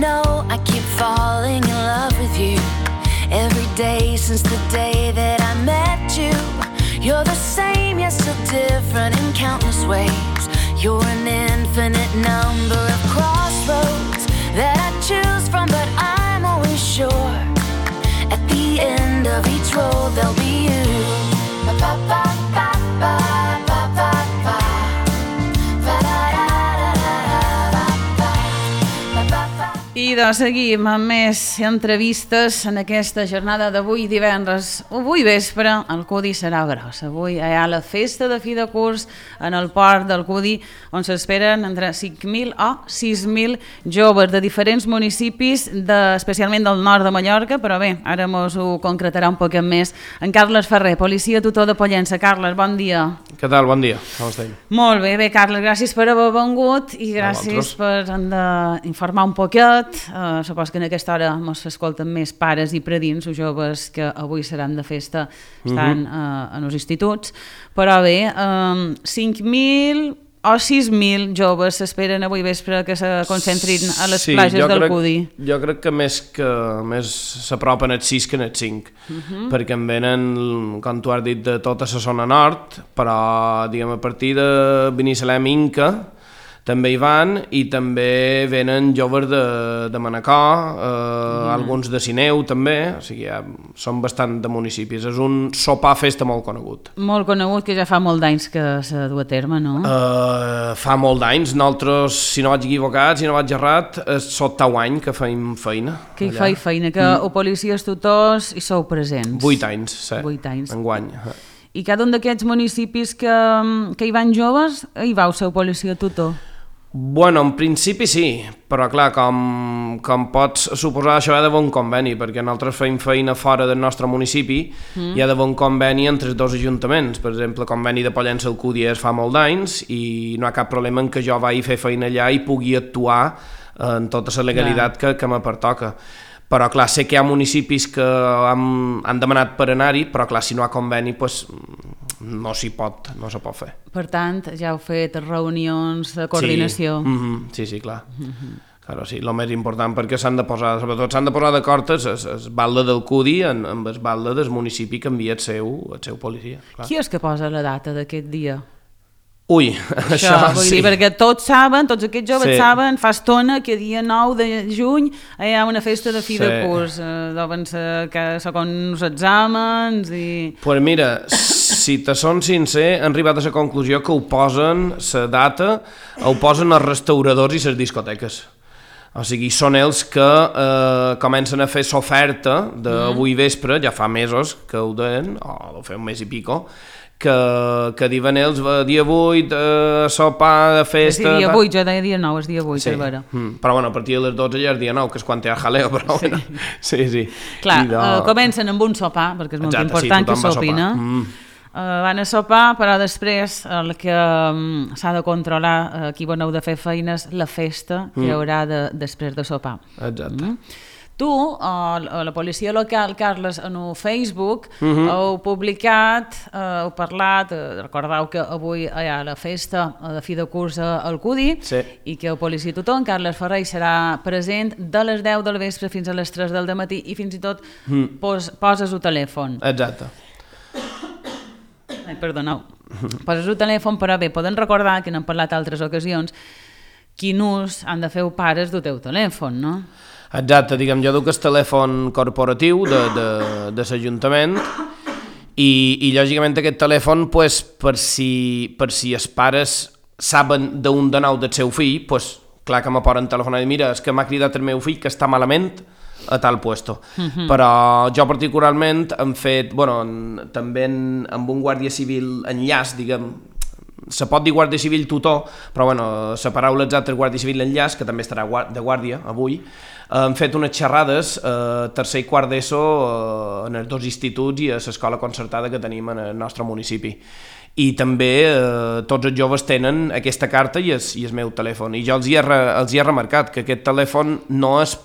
know I keep falling in love with you. Every day since the day that I met you. You're the same, yet still different in countless ways. You're an infinite number of crossroads that I choose from, but I'm always sure at the end of each road there'll be you. I doncs seguim amb més entrevistes en aquesta jornada d'avui divendres. Avui vespre el Cudi serà gros. Avui hi ha la festa de fi de curs en el port del Cudi, on s'esperen entre 5.000 o 6.000 joves de diferents municipis, especialment del nord de Mallorca, però bé, ara ens ho concretarà un poquet més en Carles Ferrer, policia tutor de Pollença. Carles, bon dia. Què tal? Bon dia. Com estem? Molt bé, Carles, gràcies per haver vengut i gràcies per informar un poquet. Supos que en aquesta hora ens escolten més pares i predins o joves que avui seran de festa, estan en els instituts, però bé, 5.000 o 6.000 joves s'esperen avui vespre que se concentrin a les platges del Cudi. Jo crec que més s'apropen els 6 que els 5, perquè en venen, com tu has dit, de tota la zona nord, però diguem, a partir de Binissalem, Inca, també hi van, i també venen joves de Manacor, alguns de Sineu també, o sigui, són bastant de municipis. És un sopar festa molt conegut. Molt conegut, que ja fa molt d'anys que se du a terme, no? Fa molt d'anys. Nosaltres, si no vaig equivocat, si no vaig errat, és l'octau any que feim feina. Que hi feia feina, que o policies tutors hi sou presents. 8 anys, sí. 8 anys. Enguany. I cada un d'aquests municipis que hi van joves, hi vau ser policia tutor? Bueno, en principi sí, però clar, com pots suposar, això hi ha d'haver un conveni, perquè nosaltres feim feina fora del nostre municipi, hi ha d'haver un conveni entre els dos ajuntaments. Per exemple, el conveni de Pollença al Cudi es fa molt d'anys i no hi ha cap problema en que jo vagi a fer feina allà i pugui actuar en tota la legalitat que me pertoca. Però clar, sé que hi ha municipis que han demanat per anar-hi, però clar, si no hi ha conveni, doncs no se pot fer. Per tant, ja heu fet reunions de coordinació. Sí, clar. Claro, sí, el més important, perquè sobretot s'han de posar d'acord el batlle del Cudi amb el batlle del municipi que envia el seu policia. Clar. Qui és que posa la data d'aquest dia? Ui, això vull dir, perquè tots saben, tots aquests joves saben, fa estona que dia 9 de juny hi ha una festa de fi de curs, deuen ser que segons els exàmens i... Pues mira, si te són sincer, han arribat a la conclusió que ho posen, la data, ho posen els restauradors i les discoteques. O sigui, són ells que comencen a fer l'oferta d'avui vespre, ja fa mesos que ho deien, o de fer un mes i pico, que diuen ells dia 8, sopar de festa... És dia 8, jo deia dia 9, és dia 8, és vera. Però bueno, a partir de les 12 ja és dia 9, que és quan hi ha jaleo, però bueno, sí. Clar, comencen amb un sopar, perquè és molt important que sopin, van a sopar, però després el que s'ha de controlar, aquí on heu de fer feines, la festa que hi haurà després de sopar. Exacte. Tu, la policia local, Carles, en el Facebook heu publicat, heu parlat, recordeu que avui hi ha la festa de fi de curs al Cudi i que el policia tutor, en Carles Ferrer, serà present de les 10 del vespre fins a les 3 del matí i fins i tot poses el telèfon. Exacte. Perdoneu. Poses el telèfon, però bé, podem recordar que n'hem parlat altres ocasions quin ús han de fer els pares del teu telèfon, no? Exacte, diguem, jo duc el telèfon corporatiu de l'Ajuntament i lògicament aquest telèfon, pues, per si els pares saben d'un de nou del seu fill, pues, clar que me poden telefonar i dir, mira, és que m'ha cridat el meu fill que està malament a tal puesto. Però jo particularment hem fet, també amb un guàrdia civil enllaç, diguem, se pot dir guàrdia civil tutor, però la paraula exacta és guàrdia civil enllaç, que també estarà de guàrdia avui. Hem fet unes xerrades tercer i quart d'ESO en els dos instituts i a l'escola concertada que tenim en el nostre municipi. I també tots els joves tenen aquesta carta i el meu telèfon. I jo els hi he remarcat que aquest telèfon no és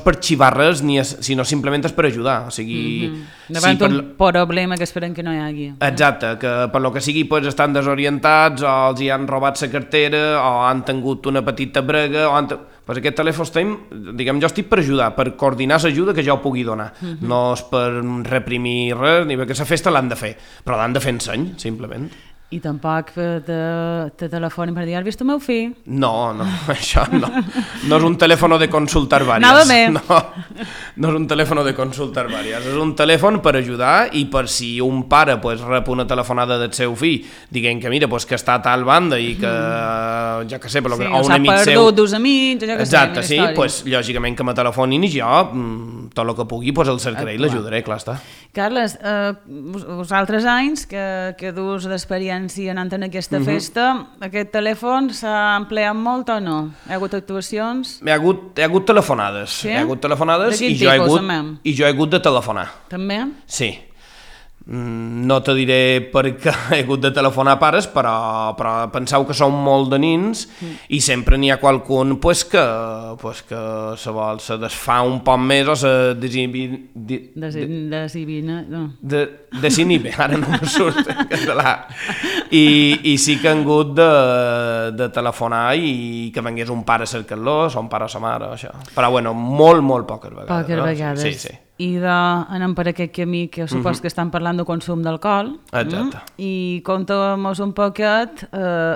per xivar res, sinó simplement és per ajudar. O sigui, davant un problema que esperem que no hi hagi. Exacte, que per lo que sigui estan desorientats o els hi han robat la cartera o han tingut una petita brega, Pues aquest telèfon diguem, jo estic per ajudar, per coordinar l'ajuda que jo pugui donar. No és per reprimir res, ni perquè la festa l'han de fer, però l'han de fer en seny, simplement. I tampoc te telefonin per dir, has vist el meu fill? No, això no. No és un telèfon de consultar vàries. Anava bé. No és un telèfon de consultar vàries. És un telèfon per ajudar i per si un pare rep una telefonada del seu fill dient que mira, que està a tal banda i que, jo què sé, o un amic seu... s'ha perdut dos amics, jo què sé. Exacte, sí, lògicament que me telefonin i jo, tot el que pugui, el cercaré i l'ajudaré, clar està. Carles, vosaltres anys que dus d'experiència anant en aquesta festa, aquest telèfon s'ha empleat molt o no? Hi ha hagut actuacions? Hi ha hagut telefonades. Sí? Hi ha hagut telefonades i jo he hagut de telefonar. També? Sí. No te diré perquè he hagut de telefonar pares, però penseu que som molt de nins i sempre n'hi ha qualcun que se desfà un poc més o se desinhibe, ara no me surt en català. I sí que han hagut de telefonar i que vengués un pare a cercar-lo, son pare o sa mare, això. Però bueno, molt poques vegades. Poques vegades. Sí. I anem per aquest camí que supos que estan parlant de consum d'alcohol. Exacte. I conta'm-nos un poquet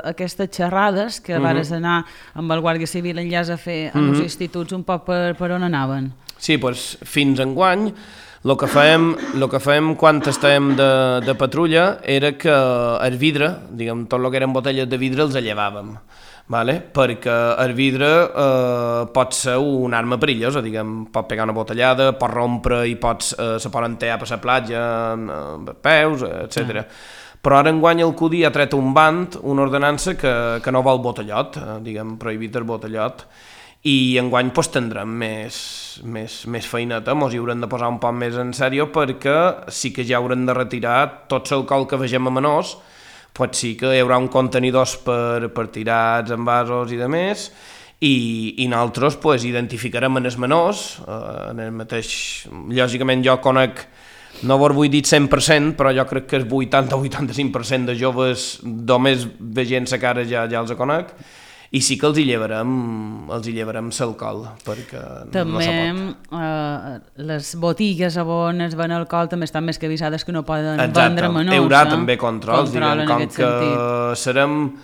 aquestes xerrades que vares anar amb el Guàrdia Civil enllaç a fer en els instituts un poc per on anaven. Sí, doncs fins enguany el que fèiem quan estàvem de patrulla era que el vidre, diguem, tot el que eren botelles de vidre els llevàvem. Vale? Perquè el vidre pot ser una arma perillosa, diguem, pot pegar una botellada, pot rompre i se pot entear per la platja amb peus, etc. Però ara enguany el CUDI ha tret un band, una ordenança que no vol botellot, diguem, prohibit el botellot, i enguany tindrem més feineta, mos hi haurem de posar un poc més en sèrio perquè sí que ja haurem de retirar tot l'alcohol que vegem a menors. Sí que hi haurà un contenidors per tirats, envasos i de més, i nosaltres identificarem en els menors, en el mateix... Lògicament jo conec, no vos vull dir 100%, però jo crec que el 80-85% de joves, només veient la cara ja els conec, i sí que els hi llevarem l'alcohol, perquè no se pot. També les botigues on es ven alcohol també estan més que avisades que no poden vendre menors. Hi haurà també controls, com que serem,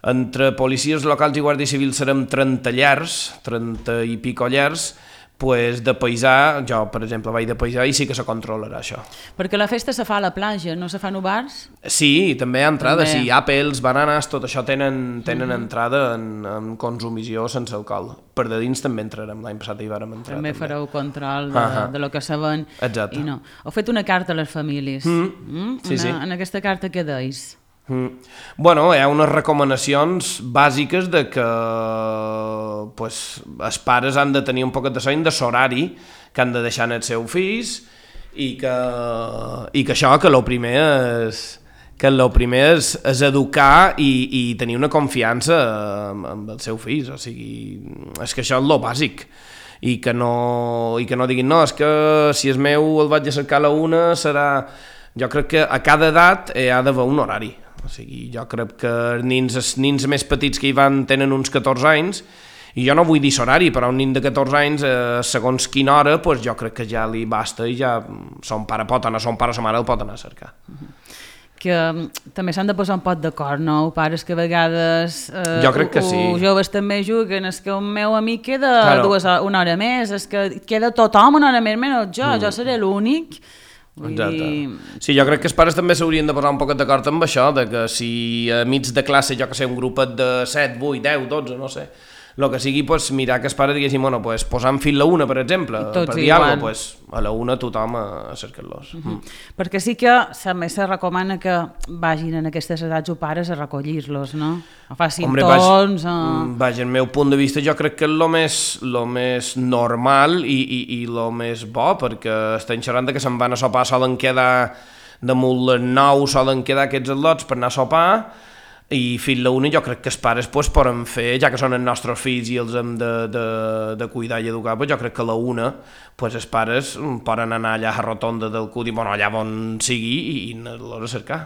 entre policies locals i guàrdia civil serem 30 llars, 30 i pico llars, de paisà, jo per exemple vaig de paisà i sí que se controlarà això. Perquè la festa se fa a la platja, no se fan a bars? Sí, també hi ha entrada, sí, àpels, bananes, tot això tenen entrada en consumició sense alcohol. Per de dins també entrarem, l'any passat hi vàrem entrar. També fareu control de lo que saben. Exacte. Heu fet una carta a les famílies. Sí. En aquesta carta què deis? Bueno, hi ha unes recomanacions bàsiques de que els pares han de tenir un poquet de seny de l'horari que han de deixar en els seus fills i que això, que el primer és educar i tenir una confiança amb els seus fills, o sigui, és que això és el bàsic. I que no diguin, no, és que si és meu el vaig a cercar a la 1 serà... Jo crec que a cada edat hi ha d'haver un horari. O sigui, jo crec que els nins més petits que hi van tenen uns 14 anys, i jo no vull dir l'horari, però un nin de 14 anys, segons quina hora, jo crec que ja li basta i ja son pare pot anar, son pare o sa mare el pot anar a cercar. Que també s'han de posar un pot d'acord, no? Pares que a vegades jo crec que sí. Joves també juguen, és que el meu amic queda una hora més, és que queda tothom una hora més, menys jo seré l'únic. Exacte. Sí, jo crec que els pares també s'haurien de posar un poquet d'acord amb això, de que si a mig de classe, jo que sé, un grupet de 7, 8, 10, 12, no sé, el que sigui, mirar que els pares diguessin, bueno, posar en fil la 1, per exemple, per dir alguna cosa, a la 1 tothom a cercar-los. Perquè sí que també se recomana que vagin en aquestes edats o pares a recollir-los, no? O facin tons... Vaja, el meu punt de vista jo crec que és el més normal i el més bo, perquè estem xerrant que se'n van a sopar, solen quedar damunt les 9, solen quedar aquests atlots per anar a sopar, i fins la 1 jo crec que els pares poden fer, ja que són els nostres fills i els hem de cuidar i educar, jo crec que a la 1 els pares poden anar allà a la rotonda del CUDI, allà on sigui, i anar-los a cercar.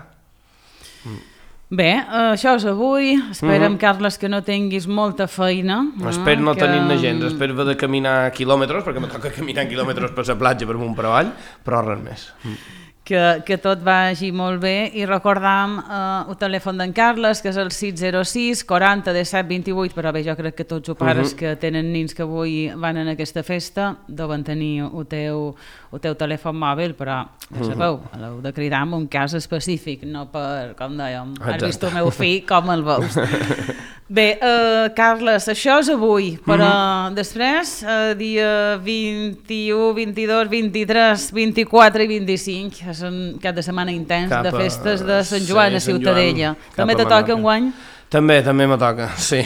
Bé, això és avui. Esperem, Carles, que no tinguis molta feina. Espero no tenir-ne gens. Espero haver de caminar quilòmetres, perquè me toca caminar quilòmetres per la platja, per amunt per avall, però res més. Que tot vagi molt bé i recordam el telèfon d'en Carles, que és el 606 40 17 28, però bé, jo crec que tots els pares que tenen nins que avui van en aquesta festa deuen tenir el teu telèfon mòbil, però ja sabeu, l'heu de cridar en un cas específic, no per, com dèiem, has vist el meu fill, com el veus. Bé, Carles, això és avui, però després, dia 21, 22, 23, 24 i 25, és un cap de setmana intens de festes de Sant Joan a Ciutadella. També te toca enguany? També me toca, sí.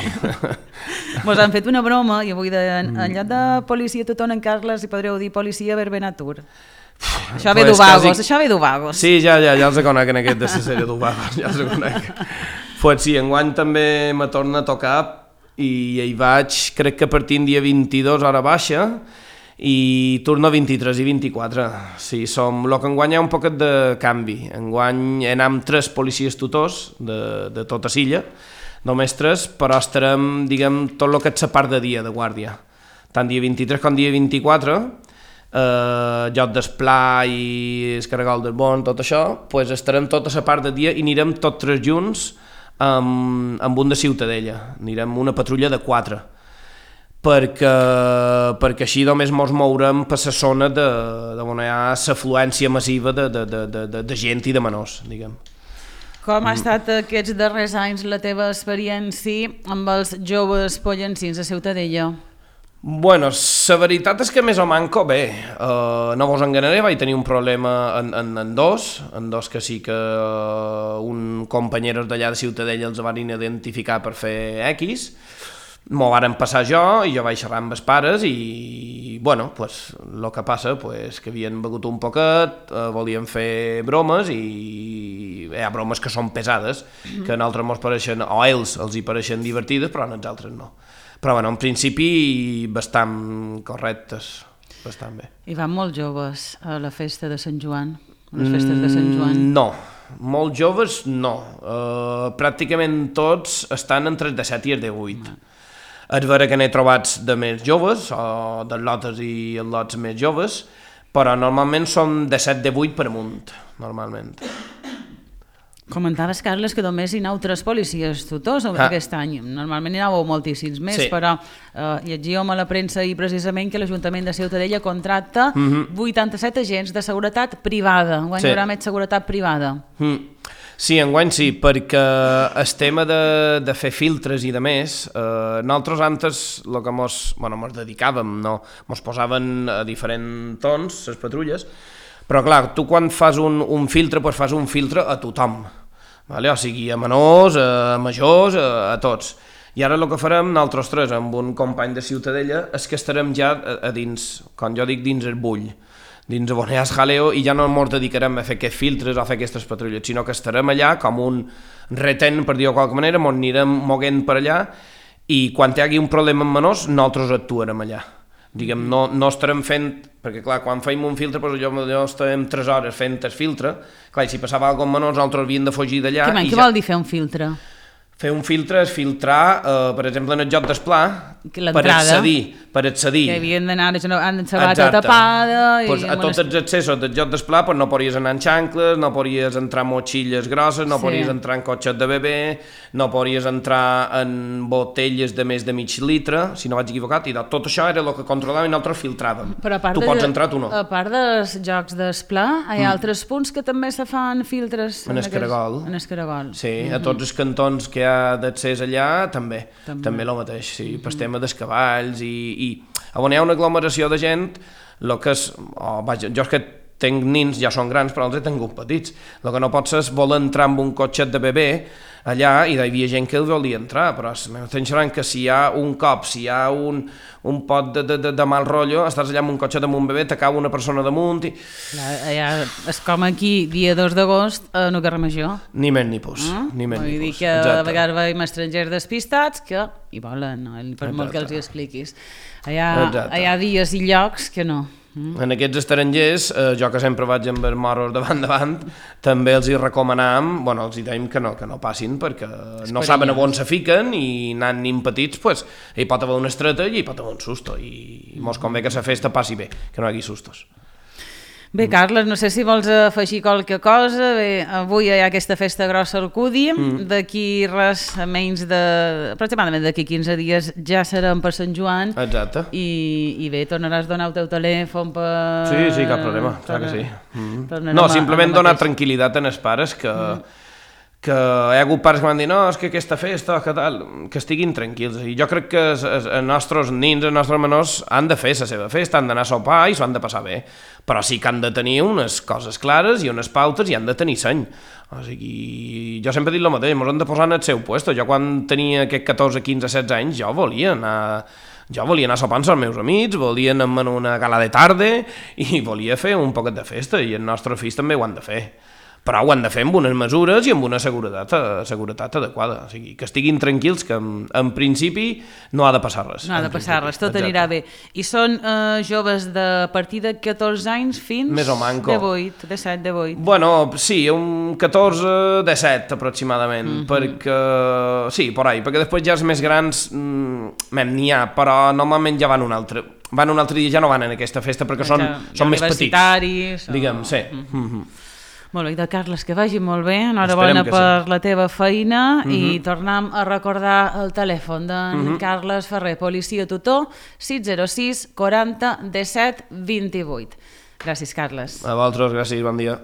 Mos han fet una broma i avui en lloc de policia tothom en Carles hi podreu dir policia Verbenatur. Això ve d'Ovagos, Sí, ja els conec en aquest de la sèrie d'Ovagos, ja els conec. Pues sí, enguany també me torna a tocar i hi vaig, crec que partint dia 22 hora baixa, i torno 23 i 24. Sí, el que enguany hi ha un poquet de canvi. Enguany anem 3 policies tutors de tota l'illa, només 3, però estarem, diguem, tot el que és la part de dia de guàrdia. Tant dia 23 com dia 24, joc d'esplà i el caragol del bon, tot això, pues estarem tota la part de dia i anirem tots 3 junts amb un de Ciutadella. Anirem una patrulla de 4. perquè així només ens mourem per la zona on hi ha l'afluència massiva de gent i de menors, diguem. Com ha estat aquests darrers anys la teva experiència amb els joves pollancins a Ciutadella? Bueno, la veritat és que més o manco bé. No vos enganaré, vaig tenir un problema en dos que sí que un companyeros d'allà de Ciutadella els van identificar per fer X. M'ho varen passar jo i jo vaig xerrar amb els pares i, bueno, pues, el que passa pues, que havien begut un poquet, volien fer bromes i hi ha bromes que són pesades, que a nosaltres ens pareixen, o a ells els hi pareixen divertides, però a nosaltres no. Però, bueno, en principi, bastant correctes, bastant bé. Hi van molt joves a la festa de Sant Joan, a les festes de Sant Joan? No, molt joves no. Pràcticament tots estan entre els 17 i els 18. És vera que n'he trobat de més joves, o de lotes i lots més joves, però normalment són de 7 de 8 per amunt, normalment. Comentaves, Carles, que només hi aneu 3 policies tutors aquest any. Normalment hi aneu moltíssims més, sí. Però llegíem a la premsa i precisament que l'Ajuntament de Ciutadella contracta 87 agents de seguretat privada. Enguany hi haurà més seguretat privada. Sí, enguany sí, perquè el tema de fer filtres i de més, nosaltres antes el que mos dedicàvem, no? Mos posaven a diferents tons, les patrulles, però clar, tu quan fas un filtre, pues fas un filtre a tothom, vale? O sigui, a menors, a majors, a tots. I ara el que farem, nosaltres 3, amb un company de Ciutadella, és que estarem ja a dins, quan jo dic dins el bull, dins on hi ha el jaleo, i ja no ens dedicarem a fer aquests filtres o a fer aquestes patrulles, sinó que estarem allà com un retén, per dir-ho de qualque manera, ens anirem moguent per allà i quan hi hagi un problema amb menors, nosaltres actuarem allà. Diguem, no estarem fent, perquè clar, quan feim un filtre, doncs allò estarem 3 hores fent el filtre, clar, i si passava alguna cosa amb menors, nosaltres havíem de fugir d'allà. Què vol dir fer un filtre? Fer un filtre és filtrar, per exemple, en el joc d'esplà, per accedir. Que havien d'anar amb sabata tapada... Pues a tots els accessos del joc d'esplà no podies anar en xancles, no podies entrar en motxilles grosses, no podies entrar en cotxet de bebè, no podies entrar en botelles de més de mig litre, si no vaig equivocat, i tot això era el que controlàvem i nosaltres filtràvem. Tu pots entrar, tu no. A part dels jocs d'esplà, hi ha altres punts que també se fan filtres... En el caragol. En el caragol. Sí, a tots els cantons que hi ha d'accés allà, també el mateix, sí, per tema dels cavalls i on hi ha una aglomeració de gent, jo és que tinc nins, ja són grans, però els he tingut petits, el que no pots és voler entrar amb un cotxet de bebè allà i hi havia gent que volia entrar, però estem xerrant que si hi ha un cop, si hi ha un pot de mal rotllo, estàs allà amb un cotxet amb un bebè, t'acaba una persona damunt i... És com aquí, dia 2 d'agost, no Carrer Major. Ni més ni pus, ni més ni pus. Vull dir que a vegades veiem estrangers despistats que hi volen, per molt que els hi expliquis. Hi ha dies i llocs que no En aquests estrangers, jo que sempre vaig amb els moros davant, també els hi recomanàvem, els hi dèiem que no passin, perquè no saben on se fiquen i anant nin petits, pues, hi pot haver una estreta i hi pot haver un susto, i mos convé que la festa passi bé, que no hi hagi sustos. Bé, Carles, no sé si vols afegir qualque cosa. Bé, avui hi ha aquesta festa grossa al Cudi, d'aquí res, menys de... aproximadament d'aquí 15 dies ja serem per Sant Joan. Exacte. I bé, tornaràs a donar el teu telèfon per... Sí, cap problema, clar que sí. No, simplement donar tranquil·litat a els pares que hi ha hagut pares que m'han dit no, és que aquesta festa, que estiguin tranquils. I jo crec que els nostres nins, els nostres menors han de fer la seva festa, han d'anar a sopar i s'ho han de passar bé, però sí que han de tenir unes coses clares i unes pautes i han de tenir seny. O sigui, jo sempre he dit el mateix, ens hem de posar en el seu puesto. Jo quan tenia aquests 14, 15, 16 anys jo volia anar sopant amb els meus amics, volia anar a una gala de tarda i volia fer un poquet de festa, i els nostres fills també ho han de fer. Però ho han de fer amb unes mesures i amb una seguretat adequada. O sigui, que estiguin tranquils, que en principi no ha de passar res. No ha de passar res, tot anirà bé. I són joves de a partir de 14 anys fins... Més o manco. De 7, de 8. Bueno, sí, un 14, de 7 aproximadament, perquè... Sí, por ahí, perquè després ja els més grans n'hi ha, però normalment ja van un altre dia, ja no van en aquesta festa perquè són més petits. Universitaris. Diguem, sí. Molt bé, Carles, que vagi molt bé, enhorabona per la teva feina i tornem a recordar el telèfon d'en Carles Ferrer, policia tutor, 606 40 17 28. Gràcies, Carles. A vosaltres, gràcies, bon dia.